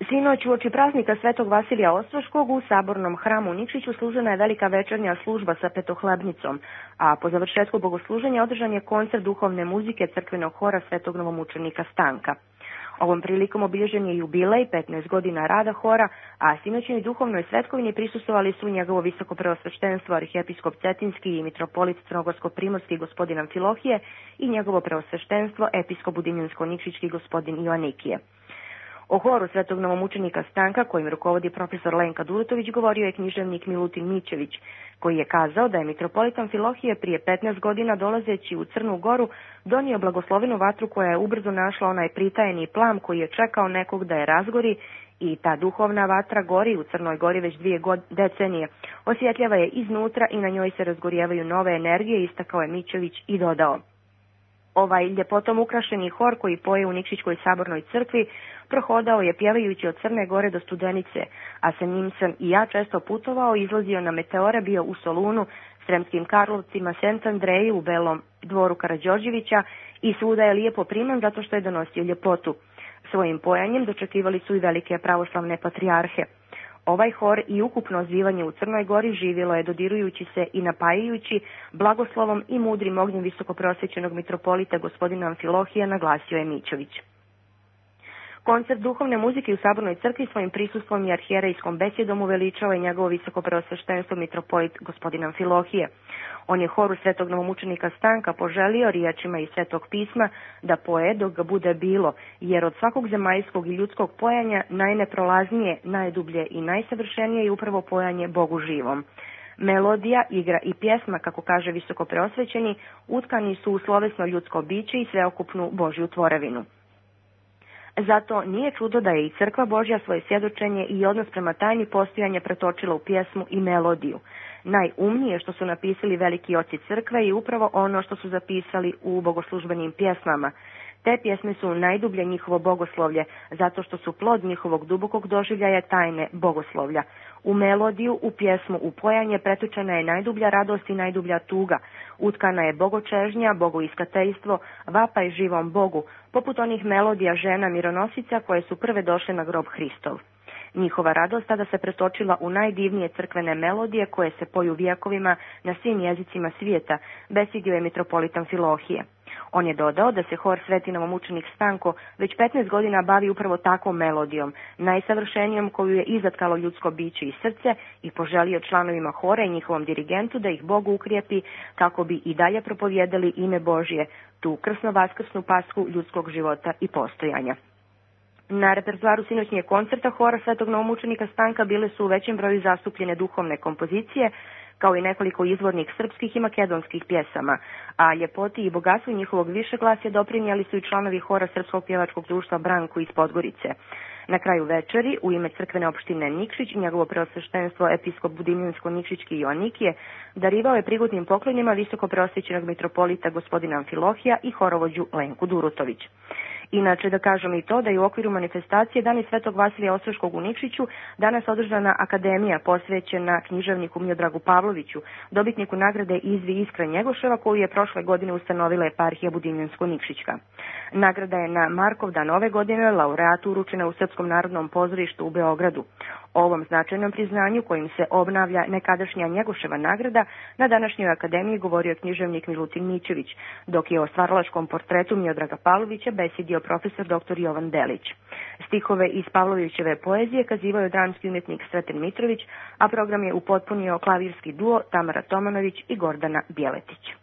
Sinoć uoči praznika Svetog Vasilija Ostroškog u Sabornom hramu u Nikšiću služena je velika večernja služba sa petohlebnicom, a po završetku bogosluženja održan je koncert duhovne muzike crkvenog hora Svetog novomučenika Stanka. Ovom prilikom obilježen je jubilej 15 godina rada hora, a sinoćnoj duhovnoj svetkovini prisustvovali su njegovo visoko preosveštenstvo arhijepiskop Cetinski i mitropolit Crnogorsko-primorski gospodin Amfilohije i njegovo preosveštenstvo episkop Budimljansko-nikšićki gospodin Joanikije. O horu Svetog novomučenika Stanka, kojim rukovodi profesor Lenka Durutović, govorio je književnik Milutin Mićević, koji je kazao da je mitropolit Amfilohije prije 15 godina dolazeći u Crnu Goru donio blagoslovenu vatru koja je ubrzo našla onaj pritajeni plam koji je čekao nekog da je razgori, i ta duhovna vatra gori u Crnoj Gori već 2 decenije. Osvjetljava je iznutra i na njoj se razgorijevaju nove energije, istakao je Mićević i dodao: ovaj ljepotom ukrašeni hor koji poje u Nikšićkoj sabornoj crkvi prohodao je pjevajući od Crne Gore do Studenice, a sa njim sam i ja često putovao, izlazio na meteore, bio u Solunu, Sremskim Karlovcima, Sent Andreju, u Belom dvoru Karađorđevića i svuda je lijepo priman zato što je donosio ljepotu. Svojim pojanjem dočekivali su i velike pravoslavne patrijarhe. Ovaj hor i ukupno zbivanje u Crnoj Gori živjelo je dodirujući se i napajajući blagoslovom i mudrim ognjem visokoprosvećenog mitropolita gospodina Amfilohija, naglasio je Mićević. Koncert duhovne muzike u Sabornoj crkvi svojim prisustvom i arhijerejskom besjedom uveličava i njegovo visokopreosveštenstvo mitropolit gospodin Amfilohije. On je horu Svetog novomučenika Stanka poželio riječima iz Svetog pisma da poje dok ga bude bilo, jer od svakog zemaljskog i ljudskog pojanja najneprolaznije, najdublje i najsavršenije je upravo pojanje Bogu živom. Melodija, igra i pjesma, kako kaže visokopreosvećeni, utkani su u slovesno ljudsko biće i sveokupnu Božju tvorevinu. Zato nije čudo da je i Crkva Božja svoje svjedočenje i odnos prema tajni postojanja pretočila u pjesmu i melodiju. Najumnije što su napisali veliki oci Crkve je upravo ono što su zapisali u bogoslužbenim pjesmama. Te pjesme su najdublje njihovo bogoslovlje, zato što su plod njihovog dubokog doživljaja tajne bogoslovlja. U melodiju, u pjesmu, u pojanje pretočena je najdublja radost i najdublja tuga. Utkana je bogočežnja, bogoiskateljstvo, vapaj živom Bogu, poput onih melodija žena mironosica koje su prve došle na grob Hristov. Njihova radost tada se pretočila u najdivnije crkvene melodije koje se poju vijekovima na svim jezicima svijeta, besidio je mitropolit Amfilohije. On je dodao da se hor Sveti novomučenik Stanko već 15 godina bavi upravo takvom melodijom, najsavršenijom koju je izatkalo ljudsko biće i srce, i poželio članovima hora i njihovom dirigentu da ih Bog ukrijepi kako bi i dalje propovjedali ime Božje, tu krsno-vaskrsnu pasku ljudskog života i postojanja. Na repertoaru sinoćnjeg koncerta hora Svetog novomučenika Stanka bile su u većem broju zastupljene duhovne kompozicije, kao i nekoliko izvornih srpskih i makedonskih pjesama, a ljepoti i bogatstvu njihovog višeglasja doprinijeli su i članovi hora Srpskog pjevačkog društva Branku iz Podgorice. Na kraju večeri, u ime crkvene opštine Nikšić, njegovo preosveštenstvo episkop Budimljansko-nikšićki Joanikije darivao je prigodnim poklonima visoko preosvećenog mitropolita gospodina Amfilohija i horovođu Lenku Durutović. Inače, da kažem i to da je u okviru manifestacije Dani Svetog Vasilija Ostroškog u Nikšiću danas održana akademija posvećena književniku Miodragu Pavloviću, dobitniku nagrade Izvi Iskra Njegoševa, koju je prošle godine ustanovila eparhija Budimljansko-nikšićka. Nagrada je na Markov dan ove godine laureatu uručena u Srpskom narodnom pozorištu u Beogradu. O ovom značajnom priznanju kojim se obnavlja nekadašnja Njegoševa nagrada na današnjoj akademiji govorio književnik Milutin Mićević, dok je o stvaralačkom portretu Miodraga Pavlovića besjedio profesor dr. Jovan Delić. Stihove iz Pavlovićeve poezije kazivao je dramski umjetnik Sreten Mitrović, a program je upotpunio klavirski duo Tamara Tomanović i Gordana Bjeletić.